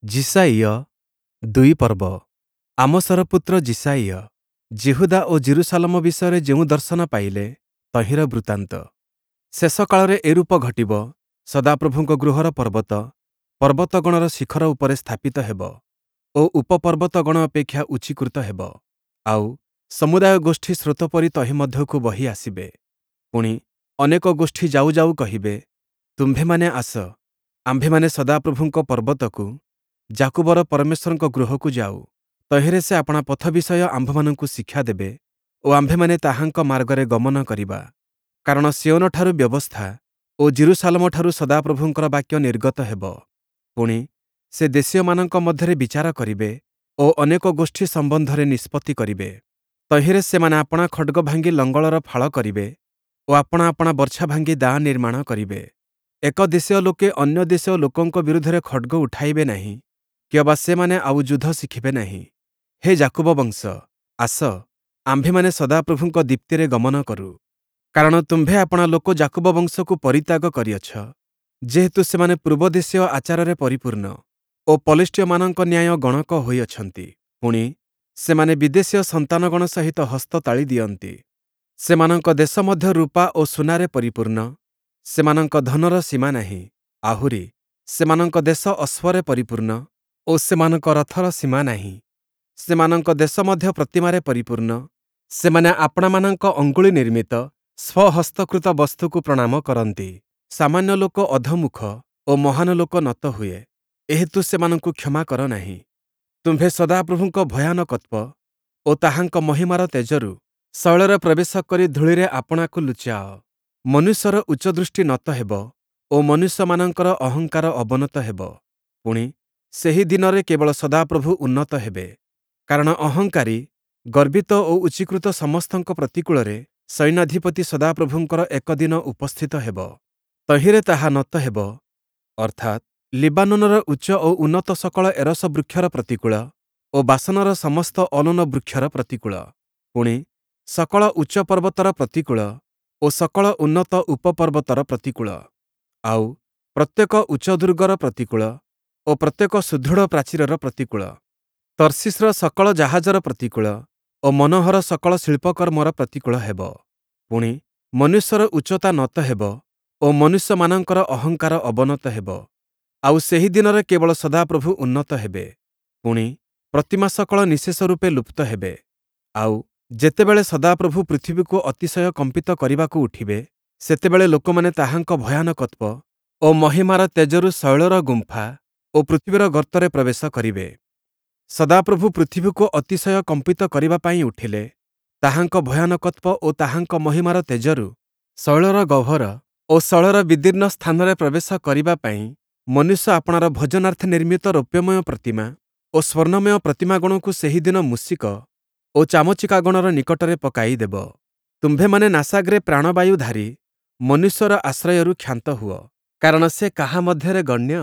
ଯିଶାଇୟ 2 ପର୍ବ। ଆମୋସର ପୁତ୍ର ଯିଶାଇୟ ଯିହୁଦା ଓ ଯିରୂଶାଲମ ବିଷୟରେ ଯେଉଁ ଦର୍ଶନ ପାଇଲେ, ତହିଁର ବୃତ୍ତାନ୍ତ। ଶେଷ କାଳରେ ଏରୂପ ଘଟିବ, ସଦାପ୍ରଭୁଙ୍କ ଗୃହର ପର୍ବତ ପର୍ବତଗଣର ଶିଖର ଉପରେ ସ୍ଥାପିତ ହେବ ଓ ଉପପର୍ବତଗଣ ଅପେକ୍ଷା ଉଚ୍ଚୀକୃତ ହେବ, ଆଉ ସମୁଦାୟ ଗୋଷ୍ଠୀ ସ୍ରୋତ ପରି ତହିଁ ମଧ୍ୟକୁ ବହି ଆସିବେ। ପୁଣି ଅନେକ ଗୋଷ୍ଠୀ ଯାଉ ଯାଉ କହିବେ, ତୁମ୍ଭେମାନେ ଆସ, ଆମ୍ଭେମାନେ ସଦାପ୍ରଭୁଙ୍କ ପର୍ବତକୁ, ଯାକୁବର ପରମେଶ୍ୱରଙ୍କ ଗୃହକୁ ଯାଉ। ତହିଁରେ ସେ ଆପଣା ପଥ ବିଷୟ ଆମ୍ଭମାନଙ୍କୁ ଶିକ୍ଷା ଦେବେ ଓ ଆମ୍ଭେମାନେ ତାହାଙ୍କ ମାର୍ଗରେ ଗମନ କରିବା। କାରଣ ସିୟୋନଠାରୁ ବ୍ୟବସ୍ଥା ଓ ଯିରୂଶାଲମଠାରୁ ସଦାପ୍ରଭୁଙ୍କର ବାକ୍ୟ ନିର୍ଗତ ହେବ। ପୁଣି ସେ ଦେଶୀୟମାନଙ୍କ ମଧ୍ୟରେ ବିଚାର କରିବେ ଓ ଅନେକ ଗୋଷ୍ଠୀ ସମ୍ବନ୍ଧରେ ନିଷ୍ପତ୍ତି କରିବେ। ତହିଁରେ ସେମାନେ ଆପଣା ଖଡ଼୍ଗ ଭାଙ୍ଗି ଲଙ୍ଗଳର ଫାଳ କରିବେ ଓ ଆପଣା ଆପଣା ବର୍ଚ୍ଛା ଭାଙ୍ଗି ଦାଆ ନିର୍ମାଣ କରିବେ। ଏକ ଦେଶୀୟ ଲୋକେ ଅନ୍ୟ ଦେଶୀୟ ଲୋକଙ୍କ ବିରୁଦ୍ଧରେ ଖଡ଼୍ଗ ଉଠାଇବେ ନାହିଁ, କିଅବା ସେମାନେ ଆଉ ଯୁଦ୍ଧ ଶିଖିବେ ନାହିଁ। ହେ ଯାକୁବ ବଂଶ, ଆସ, ଆମ୍ଭେମାନେ ସଦାପ୍ରଭୁଙ୍କ ଦୀପ୍ତିରେ ଗମନ କରୁ। କାରଣ ତୁମ୍ଭେ ଆପଣା ଲୋକ ଯାକୁବ ବଂଶକୁ ପରିତ୍ୟାଗ କରିଅଛ, ଯେହେତୁ ସେମାନେ ପୂର୍ବଦେଶୀୟ ଆଚାରରେ ପରିପୂର୍ଣ୍ଣ ଓ ପଲେଷ୍ଟୀୟମାନଙ୍କ ନ୍ୟାୟ ଗଣକ ହୋଇଅଛନ୍ତି। ପୁଣି ସେମାନେ ବିଦେଶୀୟ ସନ୍ତାନଗଣ ସହିତ ହସ୍ତ ତାଳି ଦିଅନ୍ତି। ସେମାନଙ୍କ ଦେଶ ମଧ୍ୟ ରୂପା ଓ ସୁନାରେ ପରିପୂର୍ଣ୍ଣ, ସେମାନଙ୍କ ଧନର ସୀମା ନାହିଁ। ଆହୁରି ସେମାନଙ୍କ ଦେଶ ଅଶ୍ୱରେ ପରିପୂର୍ଣ୍ଣ ଓ ସେମାନଙ୍କ ରଥର ସୀମା ନାହିଁ। ସେମାନଙ୍କ ଦେଶ ମଧ୍ୟ ପ୍ରତିମାରେ ପରିପୂର୍ଣ୍ଣ, ସେମାନେ ଆପଣାମାନଙ୍କ ଅଙ୍ଗୁଳି ନିର୍ମିତ ସ୍ୱହସ୍ତକୃତ ବସ୍ତୁକୁ ପ୍ରଣାମ କରନ୍ତି। ସାମାନ୍ୟ ଲୋକ ଅଧୋମୁଖ ଓ ମହାନ ଲୋକ ନତ ହୁଏ, ଏହେତୁ ସେମାନଙ୍କୁ କ୍ଷମା କର ନାହିଁ। ତୁମ୍ଭେ ସଦାପ୍ରଭୁଙ୍କ ଭୟାନକତ୍ୱ ଓ ତାହାଙ୍କ ମହିମାର ତେଜରୁ ଶୈଳରେ ପ୍ରବେଶ କରି ଧୂଳିରେ ଆପଣାକୁ ଲୁଚାଅ। ମନୁଷ୍ୟର ଉଚ୍ଚଦୃଷ୍ଟି ନତ ହେବ ଓ ମନୁଷ୍ୟମାନଙ୍କର ଅହଙ୍କାର ଅବନତ ହେବ। ପୁଣି ସେହି ଦିନରେ କେବଳ ସଦାପ୍ରଭୁ ଉନ୍ନତ ହେବେ। କାରଣ ଅହଙ୍କାରୀ, ଗର୍ବିତ ଓ ଉଚ୍ଚୀକୃତ ସମସ୍ତଙ୍କ ପ୍ରତିକୂଳରେ ସୈନ୍ୟାଧିପତି ସଦାପ୍ରଭୁଙ୍କର ଏକ ଦିନ ଉପସ୍ଥିତ ହେବ। ତହିଁରେ ତାହା ନତ ହେବ, ଅର୍ଥାତ୍ ଲିବାନୋନର ଉଚ୍ଚ ଓ ଉନ୍ନତ ସକଳ ଏରସ ବୃକ୍ଷର ପ୍ରତିକୂଳ ଓ ବାସନର ସମସ୍ତ ଅଲୋନ ବୃକ୍ଷର ପ୍ରତିକୂଳ। ପୁଣି ସକଳ ଉଚ୍ଚ ପର୍ବତର ପ୍ରତିକୂଳ ଓ ସକଳ ଉନ୍ନତ ଉପପର୍ବତର ପ୍ରତିକୂଳ, ଆଉ ପ୍ରତ୍ୟେକ ଉଚ୍ଚ ଦୁର୍ଗର ପ୍ରତିକୂଳ ଓ ପ୍ରତ୍ୟେକ ସୁଦୃଢ଼ ପ୍ରାଚୀରର ପ୍ରତିକୂଳ, ତର୍ଶୀଶର ସକଳ ଜାହାଜର ପ୍ରତିକୂଳ ଓ ମନୋହର ସକଳ ଶିଳ୍ପକର୍ମର ପ୍ରତିକୂଳ ହେବ। ପୁଣି ମନୁଷ୍ୟର ଉଚ୍ଚତା ନତ ହେବ ଓ ମନୁଷ୍ୟମାନଙ୍କର ଅହଙ୍କାର ଅବନତ ହେବ। ଆଉ ସେହି ଦିନରେ କେବଳ ସଦାପ୍ରଭୁ ଉନ୍ନତ ହେବେ। ପୁଣି ପ୍ରତିମା ସକଳ ନିଃଶେଷ ରୂପେ ଲୁପ୍ତ ହେବେ। ଆଉ ଯେତେବେଳେ ସଦାପ୍ରଭୁ ପୃଥିବୀକୁ ଅତିଶୟ କମ୍ପିତ କରିବାକୁ ଉଠିବେ, ସେତେବେଳେ ଲୋକମାନେ ତାହାଙ୍କ ଭୟାନକତ୍ୱ ଓ ମହିମାର ତେଜରୁ ଶୈଳର ଗୁମ୍ଫା ଓ ପୃଥିବୀର ଗର୍ତ୍ତରେ ପ୍ରବେଶ କରିବେ। ସଦାପ୍ରଭୁ ପୃଥିବୀକୁ ଅତିଶୟ କମ୍ପିତ କରିବା ପାଇଁ ଉଠିଲେ, ତାହାଙ୍କ ଭୟାନକତ୍ୱ ଓ ତାହାଙ୍କ ମହିମାର ତେଜରୁ ଶୈଳର ଗହ୍ୱର ଓ ଶୈଳର ବିଦୀର୍ଣ୍ଣ ସ୍ଥାନରେ ପ୍ରବେଶ କରିବା ପାଇଁ ମନୁଷ୍ୟ ଆପଣାର ଭୋଜନାର୍ଥେ ନିର୍ମିତ ରୌପ୍ୟମୟ ପ୍ରତିମା ଓ ସ୍ୱର୍ଣ୍ଣମୟ ପ୍ରତିମାଗଣକୁ ସେହିଦିନ ମୂଷିକ ଓ ଚାମଚିକାଗଣର ନିକଟରେ ପକାଇଦେବ। ତୁମ୍ଭେମାନେ ନାସାଗ୍ରେ ପ୍ରାଣବାୟୁଧାରୀ ମନୁଷ୍ୟର ଆଶ୍ରୟରୁ କ୍ଷାନ୍ତ ହୁଅ, କାରଣ ସେ କାହା ମଧ୍ୟରେ ଗଣ୍ୟ?